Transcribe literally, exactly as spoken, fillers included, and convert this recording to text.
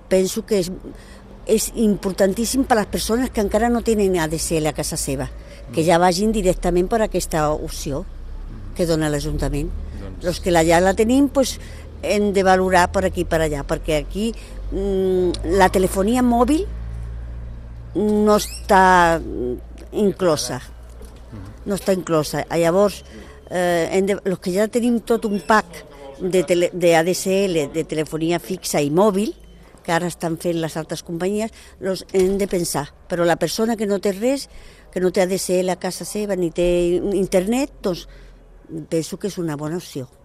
penso que és, és importantíssim per a les persones que encara no tenen A D S L a casa seva, que ja vagin directament per aquesta opció que dona l'Ajuntament. Doncs... Els que la, ja la tenim, doncs, hem de valorar per aquí i per allà, perquè aquí mmm, la telefonia mòbil no està inclosa. No està inclosa. Llavors, eh, hem de, els que ja tenim tot un pack de, tele, de A D S L, de telefonia fixa i mòbil, que ara estan fent les altres companyies, els hem de pensar. Però la persona que no té res, que no té A D S L a casa seva ni té internet, doncs penso que és una bona opció.